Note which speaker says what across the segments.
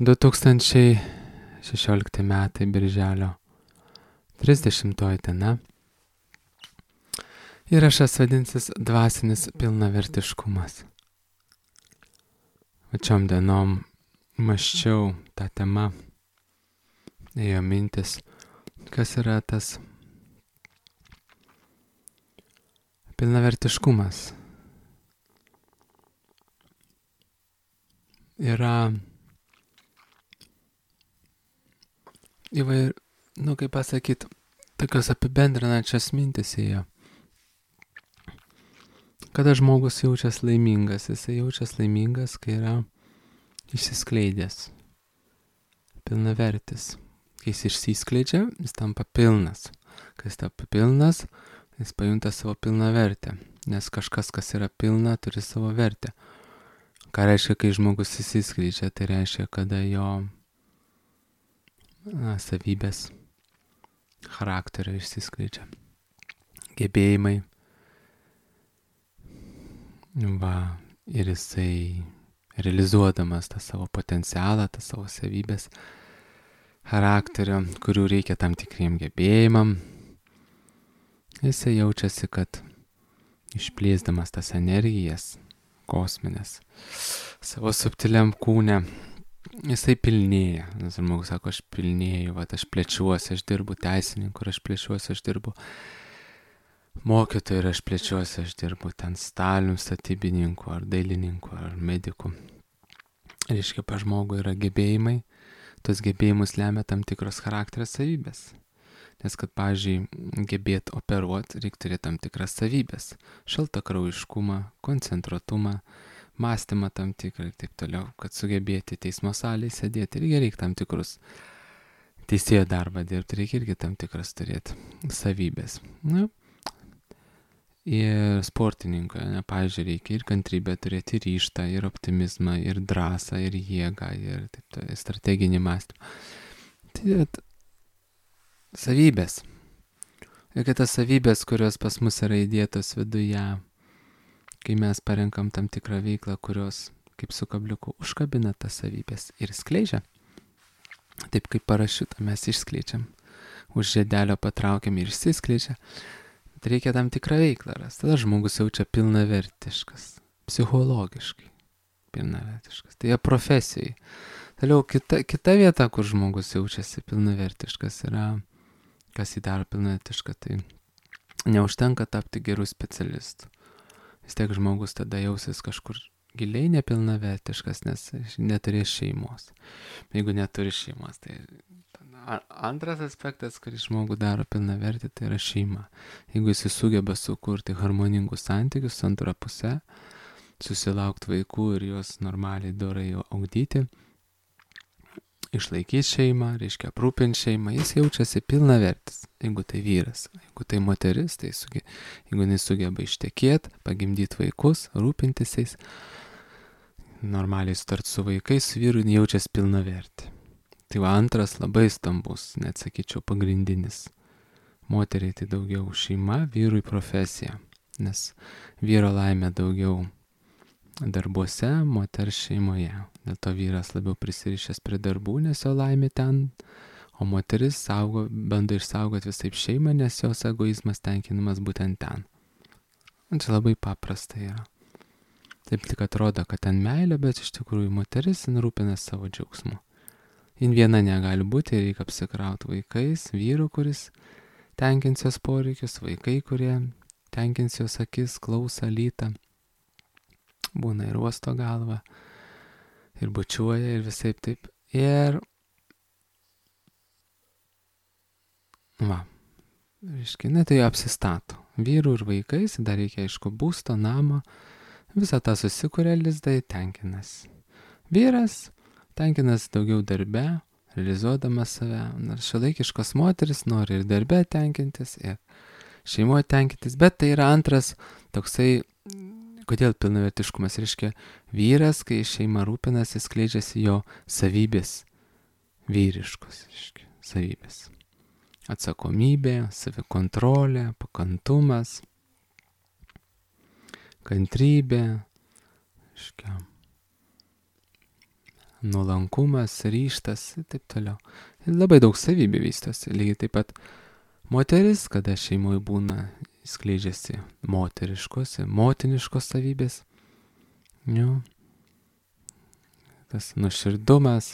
Speaker 1: 2016 metai birželio 30 diena. Įrašas vadinsis dvasinis pilnavertiškumas. Pačiom dienom mąsčiau tą temą, ėjo mintis, kas yra tas pilnavertiškumas. Yra kaip pasakyti, tokios apibendrinančios mintis ėjo. Kada žmogus jaučiasi laimingas, jisai jaučiasi laimingas, kai yra išsiskleidęs, pilnavertis. Kai jis išsiskleidžia, jis tampa pilnas. Kai jis tampa pilnas, jis pajunta savo pilnavertę, nes kažkas, kas yra pilna, turi savo vertę. Ką reiškia, kai žmogus išsiskleidžia, tai reiškia, kada jo savybės, charakterio išsiskleidžia, gebėjimai. Ir jisai realizuodamas tą savo potencialą, tą savo savybės, charakterio, kurių reikia tam tikriem gebėjimam, jisai jaučiasi, kad išplėsdamas tas energijas kosminės savo subtiliam kūne, jisai pilnėja. Nes žmogus sako, aš pilnėju, aš plečiuosi, aš dirbu teisininku, aš plečiuosi, aš dirbu mokytoju, ir aš plečiuosi, aš dirbu ten stalium, statybininku, ar dailininku, ar mediku. Reiškia, pas žmogų yra gebėjimai, tos gebėjimus lemia tam tikros charakterio savybės. Nes kad, pavyzdžiui, gebėt operuoti, reikia turėti tam tikras savybės. Šaltakraujiškumą, koncentruotumą, mąstymą tam tikrą ir taip toliau. Kad sugebėti teismo salėje sėdėti, reikia tam tikrus teisėjo darbą dirbti, reikia irgi tam tikras turėti savybės. Ir sportininko, pavyzdžiui, reikia ir kantrybę turėti, ir ryžtą, ir optimizmą, ir drąsą, ir jėgą, ir taip toliau, strateginį mąstymą. Tai savybės. Ir kad tas savybės, kurios pas mus yra įdėtos viduje, kai mes parenkam tam tikrą veiklą, kurios, kaip su kabliuku, užkabina tas savybės ir skleidžia. Taip kaip parašiutą mes išskleidžiam. Už žiedelio patraukiam ir išsiskleidžia. Reikia tam tikrą veiklą rasti. Tada žmogus jaučia pilnavertiškas, psichologiškai pilnavertiškas. Tai profesijai. Toliau kita vieta, kur žmogus jaučiasi pilnavertiškas, yra, kas jį daro pilnavertišką, tai neužtenka tapti gerų specialistų. Vis tiek žmogus tada jausis kažkur giliai nepilnavertiškas, nes neturės šeimos. Jeigu neturi šeimos, tai antras aspektas, kuris žmogų daro pilnavertį, tai yra šeima. Jeigu jis sugeba sukurti harmoningus santykius su antra puse, susilaukti vaikų ir juos normaliai dorai augdyti, išlaikyti šeimą, reiškia aprūpinti šeimą, jis jaučiasi pilnavertis. Jeigu tai vyras, jeigu tai moteris, tai jeigu jis sugeba ištekėti, pagimdyti vaikus, rūpintis jais, normaliai sutarti su vaikais, su vyru jaučiasi pilnavertį. Tai antras labai stambus, net sakyčiau pagrindinis. Moteriai tai daugiau šeima, vyrui profesija. Nes vyro laimė daugiau darbuose, moters šeimoje. Dėl to vyras labiau prisirišęs prie darbų, nes jo laimė ten, o moteris bando išsaugoti visaip šeimą, nes jos egoizmas tenkinamas būtent ten. Čia labai paprasta yra. Taip tik atrodo, kad ten meilė, bet iš tikrųjų moteris rūpina savo džiaugsmu. Jin viena negali būti, reikia apsikrauti vaikais, vyru, kuris tenkins jos poreikius, vaikai, kurie tenkins jos akis, klausą, lytą. Būna ir uosto galvą, ir bučiuoja, ir visaip taip. Ir reiškia, tai apsistato. Vyrų ir vaikais, dar reikia, aišku, būsto, namo, visą tą susikuria lizdai, tenkinas. Vyras tenkinas daugiau darbe, realizuodamas save. Nors šiuolaikiškos moteris nori ir darbe tenkintis, ir šeimoje tenkintis, bet tai yra antras toksai, kodėl pilnavertiškumas, reiškia, vyras, kai šeima rūpinasi, skleidžiasi jo savybės, vyriškos, reiškia, savybės. Atsakomybė, savikontrolė, pakantumas, kantrybė, reiškia, nuolankumas, ryžtas ir taip toliau. Ir labai daug savybių vystosi. Lygiai taip pat moteris, kada šeimoje būna, skleidžiasi motiniškos savybės. Tas nuoširdumas,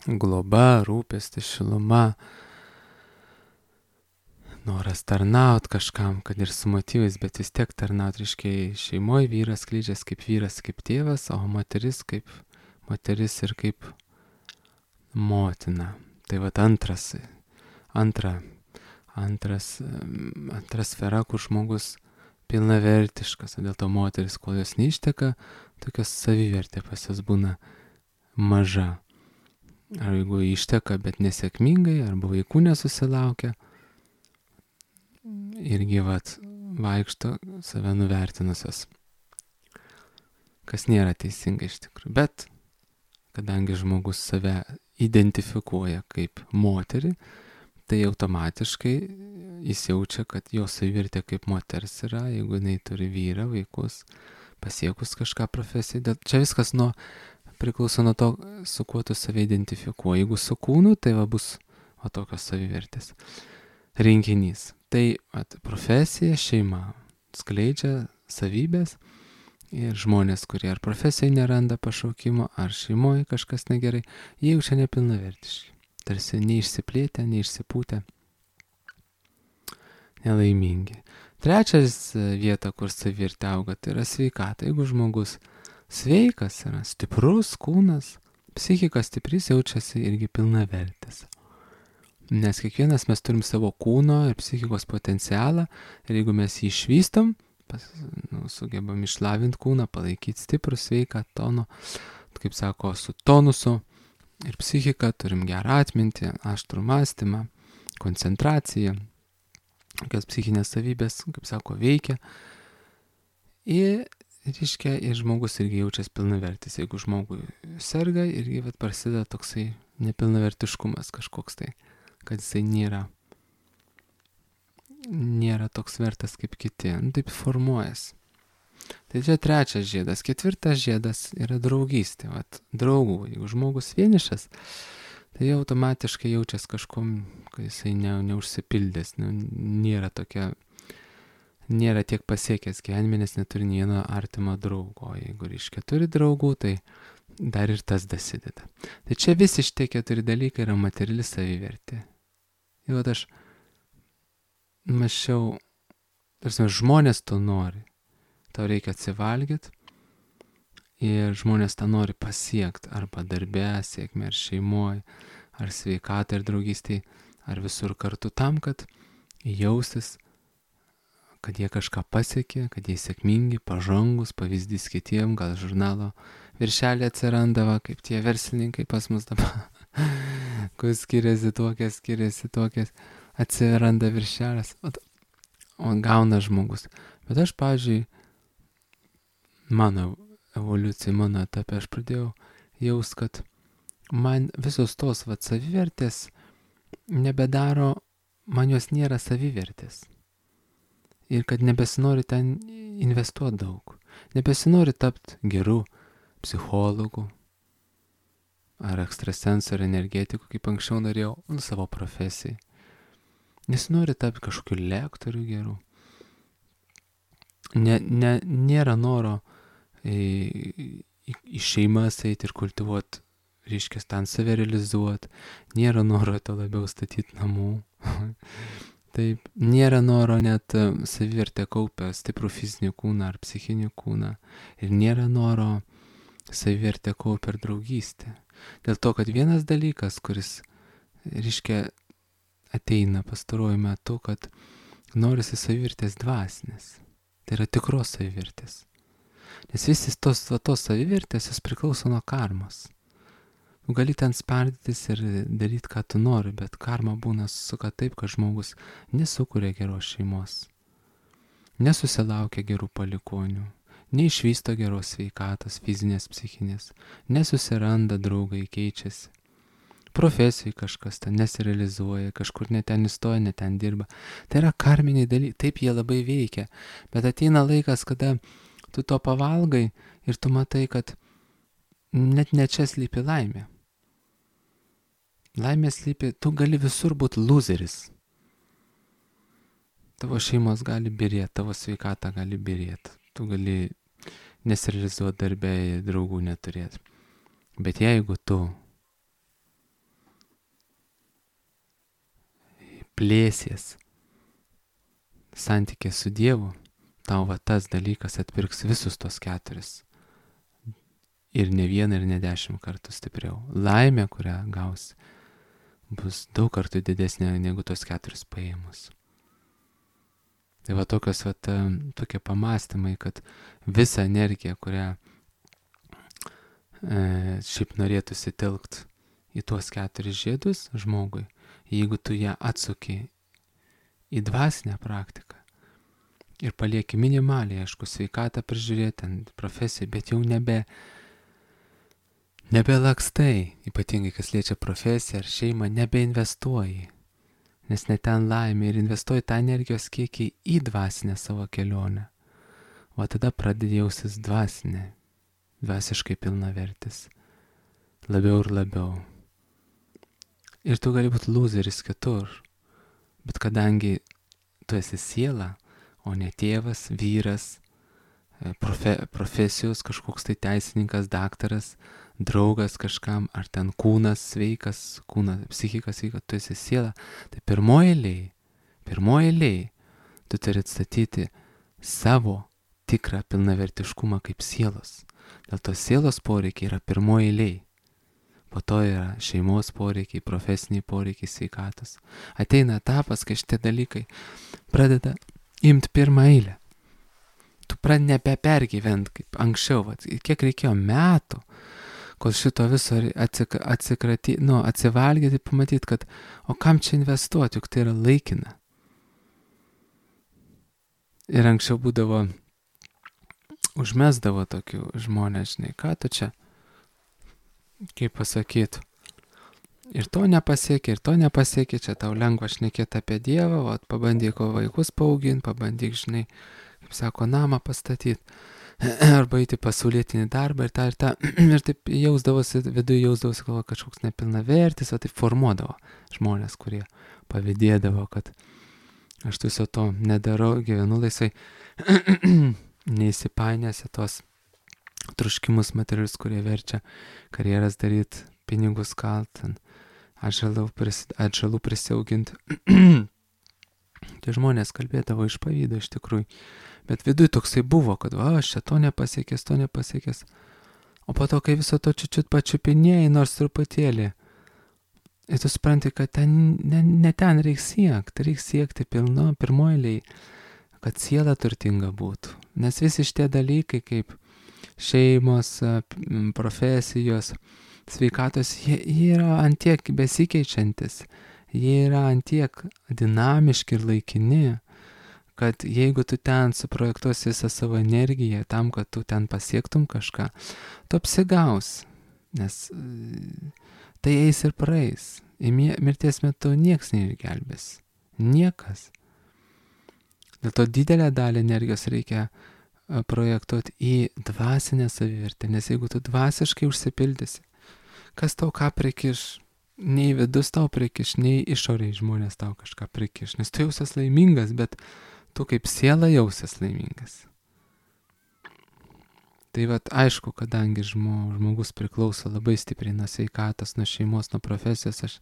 Speaker 1: globa, rūpestis, šiluma, noras tarnaut kažkam, kad ir su motyvais, bet vis tiek tarnaut, reiškia, šeimoje vyras skleidžiasi kaip vyras, kaip tėvas, o moteris kaip moteris ir kaip motina. Tai vat antra sfera, kur žmogus pilnavertiškas, o dėl to moteris, kol jos neišteka, tokios savivertė pas jos būna maža. Ar jeigu išteka, bet nesėkmingai, arba vaikų nesusilaukia, irgi vaikšto save nuvertinusios, kas nėra teisinga iš tikrųjų. Bet kadangi žmogus save identifikuoja kaip moterį, tai automatiškai jis jaučia, kad jo savivertė kaip moters yra, jeigu jinai turi vyrą, vaikus, pasiekus kažką profesiją. Čia viskas priklauso nuo to, su kuo tu save identifikuoji. Jeigu su kūnu, tai bus tokios savivertės rinkinys. Tai profesija, šeima skleidžia savybės ir žmonės, kurie ar profesijai neranda pašaukimo, ar šeimoje kažkas negerai, jie jaučia nepilnavertiški. Tarsi neišsiplėtę, neišsipūtę, nelaimingi. Trečias vieta, kur savivertė auga, tai yra sveikata. Jeigu žmogus sveikas yra, stiprus kūnas, psichika stiprys, jaučiasi irgi pilnavertis. Nes kiekvienas mes turim savo kūno ir psichikos potencialą ir jeigu mes jį išvystom, sugebam išlavinti kūną, palaikyti stiprų, sveiką, tono, kaip sako, su tonusu ir psichika, turim gerą atmintį, aštrų mąstymą, koncentraciją, kokias psichinės savybės, kaip sako, veikia. Ir žmogus irgi jaučiasi pilnavertis. Jeigu žmogui serga, irgi prasideda toksai nepilnavertiškumas kažkoks tai, kad jisai nėra toks vertas kaip kiti. Taip formuojasi. Tai čia trečias žiedas. Ketvirtas žiedas yra draugystė. Draugų. Jeigu žmogus vienišas, tai jau automatiškai jaučiasi kažkom, kad jisai neužsipildęs, nėra tiek pasiekęs gyvenime, nes neturi nei vieno artimo draugo. O jeigu turi draugų, tai dar ir tas dasideda. Tai čia visi šitie 4 dalykai yra materiali savivertė. Jau aš mąsčiau, žmonės to nori. Tau reikia atsivalgyti ir žmonės tą nori pasiekti arba darbe, sėkmė, ar šeimoje, ar sveikatai, ar draugystėje, ar visur kartu tam, kad jausis, kad jie kažką pasiekė, kad jie sėkmingi, pažangus, pavyzdys kitiem, gal žurnalo viršelį atsirandavo, kaip tie verslininkai pas mus dabar, kur skiriasi tokias, atsiranda viršelis, o gauna žmogus. Bet aš, pavyzdžiui, mano evoliucijai, mano etape, aš pradėjau jaust, kad man visos tos savivertės nebedaro, man jos nėra savivertės. Ir kad nebesinori ten investuoti daug. Nebesinori tapti geru psichologu ar ekstrasensu ar energetiku, kaip anksčiau norėjau savo profesijai. Nesinori tapti kažkokiu lektoriu geru. Nėra noro į šeimas eiti ir kultivuoti, reiškia, ten save realizuoti. Nėra noro to labiau statyti namų. Taip, nėra noro net savivertę kaupę stiprų fizinį kūną ar psichinį kūną. Ir nėra noro savivertę kaupę ir draugystę. Dėl to, kad vienas dalykas, kuris, reiškia, ateina pastaruoju metu, kad norisi savivertės dvasinės. Tai yra tikros savivertės. Nes visi tos savivertės jos priklauso nuo karmos. Gali ten spardytis ir daryti, ką tu nori, bet karma būna suka taip, kad žmogus nesukuria geros šeimos, nesusilaukia gerų palikonių, neišvysto geros sveikatos, fizinės, psichinės, nesusiranda draugai, keičiasi. Profesijai kažkas ten nesirealizuoja, kažkur ne ten įstoja, ne ten dirba. Tai yra karminiai dalykai, taip jie labai veikia, bet ateina laikas, kada tu to pavalgai ir tu matai, kad net ne čia slypi laimė. Laimė slypi, tu gali visur būti loseris. Tavo šeimos gali birėti, tavo sveikata gali birėti. Tu gali nesirealizuoti darbę, draugų neturėti. Bet jeigu tu plėsies santykė su Dievu, tau va tas dalykas atpirks visus tos 4. Ir ne 1 ir ne 10 kartų stipriau. Laimė, kurią gausi, bus daug kartų didesnė negu tos 4 paėmus. Tai va tokie pamastymai, kad visą energiją, kurią šiaip norėtųsi telkt į tuos 4 žiedus žmogui, jeigu tu ją atsuki į dvasinę praktiką ir palieki minimaliai, aišku, sveikatą prižiūrėti, profesiją, bet jau nebelakstai, ypatingai kas liečia profesiją ar šeimą, nebeinvestuoji, nes ne ten laimė ir investuoji tą energijos kiekį į dvasinę savo kelionę. O tada pradedi jausis dvasiškai pilnavertis, labiau ir labiau. Ir tu gali būti loseris kitur, bet kadangi tu esi siela, o ne tėvas, vyras, profesijos kažkoks tai teisininkas, daktaras, draugas kažkam, ar ten kūnas sveikas, psichika sveika, tu esi siela, tai pirmoji eilėj, tu turi atstatyti savo tikrą pilnavertiškumą kaip sielos. Dėl to sielos poreikiai yra pirmoji eilėj. Po to yra šeimos poreikiai, profesiniai poreikiai, sveikatos. Ateina etapas, kai šitie dalykai pradeda imti pirmą eilę. Tu pradedi nebepergyvent kaip anksčiau, kiek reikėjo metų, kol šito viso atsivalgyti, pamatyti, kad o kam čia investuoti, juk tai yra laikina. Ir anksčiau būdavo, užmesdavo tokių žmonės, žinai, ką tu čia, kaip pasakytų, ir to nepasiekė, čia tau lengva šnekėti apie Dievą, pabandyk vaikus paauginti, pabandyk, žinai, kaip sako, namą pastatyti, arba eiti pasaulietinį darbą ir taip viduje jausdavosi, kad kažkoks nepilnavertis, o taip formuodavo žmonės, kurie pavydėdavo, kad aš viso to nedarau, gyvenu laisvai, neįsipainėsi tos truškimus materialius, kurie verčia karjeras daryti, pinigus kalt, atžalų prisiauginti. Tie žmonės kalbėdavo iš pavydo iš tikrųjų, bet viduj toksai buvo, kad aš čia to nepasiekęs. O po to, kai viso to čiut pačiupinėjai, nors truputėlį, ir tu supranti, kad ne ten reikia siekti pirmoji, kad siela turtinga būtų. Nes visi šitie dalykai, kaip šeimos, profesijos, sveikatos, jie yra antiek besikeičiantis, jie yra antiek dinamiški ir laikini, kad jeigu tu ten suprojektuosi visą savo energiją tam, kad tu ten pasiektum kažką, tu apsigaus, nes tai eis ir praeis. Į mirties metu nieks neišgelbės. Niekas. Dėl to didelę dalį energijos reikia projektuoti į dvasinę savivertę, nes jeigu tu dvasiškai užsipildysi, kas tau ką prikiš, nei vidus tau prikiš, nei išoriai žmonės tau kažką prikiš, nes tu jausies laimingas, bet tu kaip siela jausies laimingas. Tai aišku, kadangi žmogus priklauso labai stipriai nuo sveikatos, nuo šeimos, nuo profesijos, aš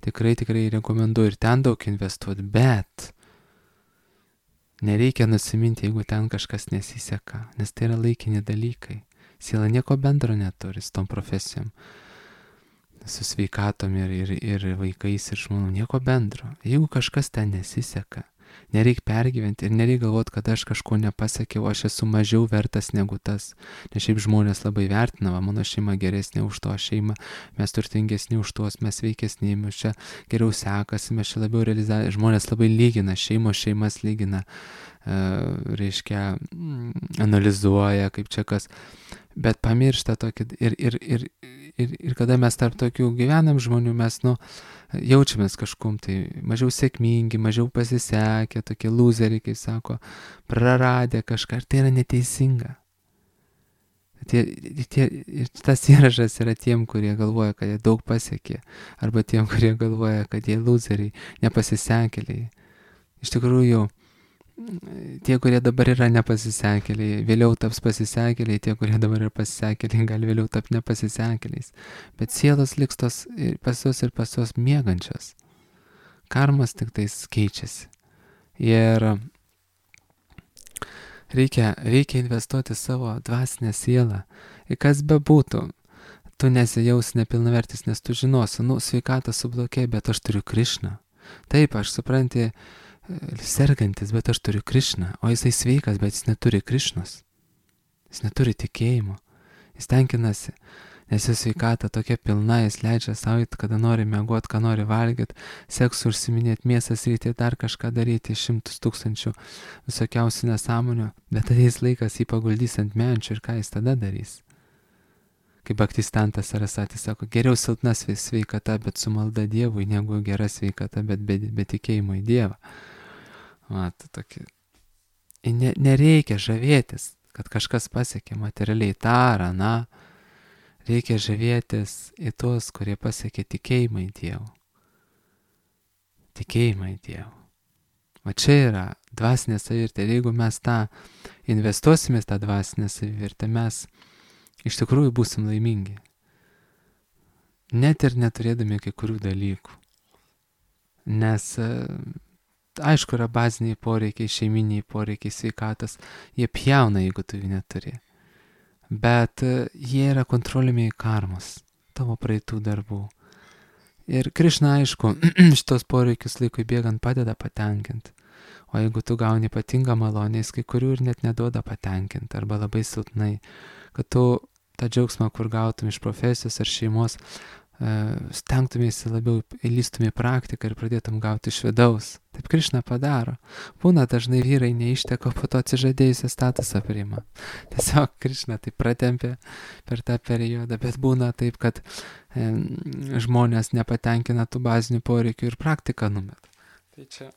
Speaker 1: tikrai rekomenduoju ir ten daug investuoti, bet nereikia nusiminti, jeigu ten kažkas nesiseka, nes tai yra laikini dalykai. Siela nieko bendro neturi su tom profesijom, su sveikatom ir vaikais ir žmonų, nieko bendro. Jeigu kažkas ten nesiseka, nereik pergyventi ir nereik galvoti, kad aš kažko nepasiekiau, aš esu mažiau vertas negu tas. Nes šiaip žmonės labai vertina, mano šeima geresnė už to šeimą, mes turtingesni už tuos, mes sveikesni, mes čia geriau sekasi, mes čia labiau realizavę. Žmonės labai lygina, šeimas lygina, analizuoja, kaip čia kas. Bet pamiršta tokį ir kada mes tarp tokių gyvenam žmonių, mes jaučiamės kažkum tai mažiau sėkmingi, mažiau pasisekę, tokie loseriai, kaip sako, praradę kažką, ir tai yra neteisinga. Tas įrašas yra tiem, kurie galvoja, kad jie daug pasiekė, arba tiem, kurie galvoja, kad jie loseriai, nepasisekėliai. Iš tikrųjų, tie, kurie dabar yra nepasisekėliai, vėliau taps pasisekėliai, tie, kurie dabar yra pasisekėliai, gali vėliau tapti nepasisekėliais. Bet sielos liks tos pas juos miegančios. Karmas tik tais keičiasi. Ir reikia investuoti savo dvasinę sielą. Ir kas bebūtų, tu nesijausi nepilnavertis, nes tu žinosi, sveikata sublokė, bet aš turiu Krišną. Taip, aš supranti, sergantis, bet aš turiu Krišną. O jisai sveikas, bet jis neturi Krišnos. Jis neturi tikėjimo. Jis tenkinasi, nes jo sveikata tokia pilna, jis leidžia savo, kada nori miegot, ką nori valgyti, seksu užsiminėti, mėsas ryti, dar kažką daryti, 100 000 visokiausių nesąmonių, bet ateis laikas jį paguldys ant menčių ir ką jis tada darys. Kaip Bhaktistantas Sarasvati sako, geriau silpna sveikata, bet su malda Dievui, negu gera sveikata, bet be tikėjimo į Dievą. Nereikia žavėtis, kad kažkas pasiekė materialiai tą ar aną. Reikia žavėtis į tuos, kurie pasiekė tikėjimą į Dievą. Tikėjimą į Dievą. O čia yra dvasinė savivertė. Ir jeigu mes tą investuosime tą dvasinę savivertę, mes iš tikrųjų būsim laimingi. Net ir neturėdami kai kurių dalykų. Nes, aišku, yra baziniai poreikiai, šeiminiai poreikiai, sveikatas. Jie pjauna, jeigu tu jų neturi. Bet jie yra kontroliuojami karmos, tavo praeitų darbų. Ir Krišna, aišku, šitos poreikius laikui bėgant padeda patenkinti. O jeigu tu gauni ypatingą malonę, jis kai kurių ir net neduoda patenkinti, arba labai silpnai, kad tu tą džiaugsmą, kur gautum iš profesijos ar šeimos, stengtumėsi labiau įlystum į praktiką ir pradėtum gauti iš vidaus. Taip Krišna padaro. Būna dažnai vyrai neišteko, po to atsižadėjusią statusą priima. Tiesiog Krišna taip pratempė per tą periodą, bet būna taip, kad žmonės nepatenkina tų bazinių poreikių ir praktiką numeta. Tai čia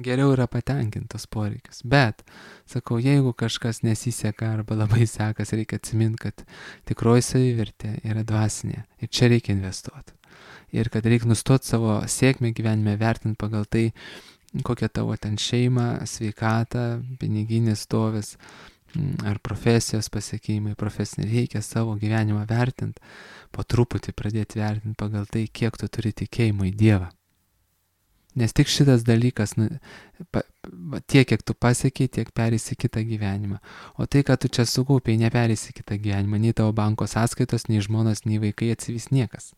Speaker 1: geriau yra patenkintos poreikius. Bet, sakau, jeigu kažkas nesiseka arba labai sekas, reikia atsiminti, kad tikroji savivertė yra dvasinė. Ir čia reikia investuoti. Ir kad reikia nustoti savo sėkmę gyvenime vertinti pagal tai, kokia tavo ten šeima, sveikata, piniginis stovis ar profesijos pasiekimai, profesinė. Reikia savo gyvenimą vertinti, po truputį pradėti vertinti pagal tai, kiek tu turi tikėjimo į Dievą. Nes tik šitas dalykas, tiek, kiek tu pasiekiai, tiek perėsi kitą gyvenimą. O tai, kad tu čia sukaupiai, neperėsi kitą gyvenimą. Nei tavo banko sąskaitos, nei žmonos, nei vaikai atsivys niekas.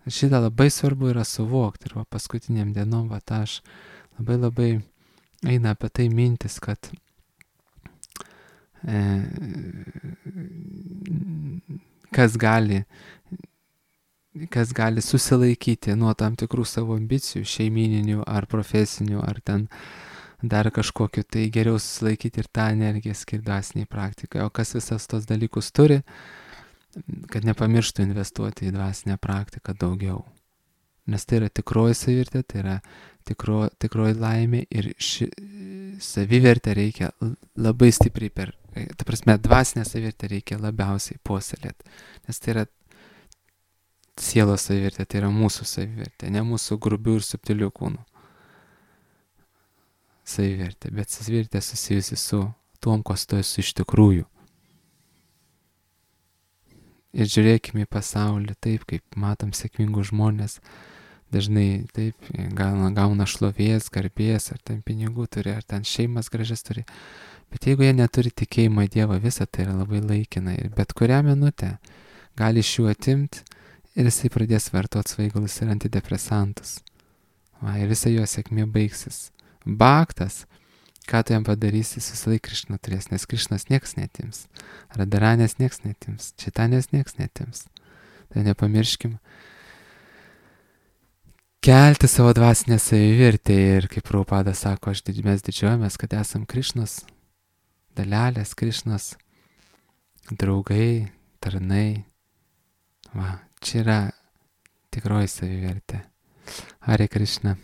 Speaker 1: Šitą labai svarbu yra suvokti. Ir paskutiniam dienom, aš labai eina apie tai mintis, kad kas gali susilaikyti nuo tam tikrų savo ambicijų, šeimininių ar profesinių, ar ten dar kažkokiu, tai geriau susilaikyti ir tą energiją skirti dvasiniai praktikai. O kas visas tos dalykus turi, kad nepamirštų investuoti į dvasinę praktiką daugiau. Nes tai yra tikroji savivertė, tai yra tikroji laimė ir ši savivertė reikia labai stipriai dvasinę savivertę reikia labiausiai puoselėti. Nes tai yra sielos savivertė, tai yra mūsų savivertė, ne mūsų grubių ir subtilių kūnų savivertė, bet savivertė susijusi su tuom, kas tu esi iš tikrųjų. Ir žiūrėkime į pasaulį taip, kaip matom sėkmingus žmonės, dažnai taip gauna šlovės, garbės, ar ten pinigų turi, ar ten šeimas gražias turi. Bet jeigu jie neturi tikėjimo į Dievą, visa tai yra labai laikina ir bet kurią minutę gali iš jų atimti ir jisai pradės vartoti svaigalus ir antidepresantus. Ir visa jo sėkmė baigsis. Bhaktas, ką tu jam padarysi, visą laiką Krišną turės, nes Krišnas nieks netims. Radharanės nieks netims. Čaitanės nieks netims. Tai nepamirškim kelti savo dvasinę savivertę ir kaip Prabhupada sako, mes didžiuojamės, kad esam Krišnos dalelės, Krišnos draugai, tarnai. Čia yra tikroji savivertė. Hare Krishna.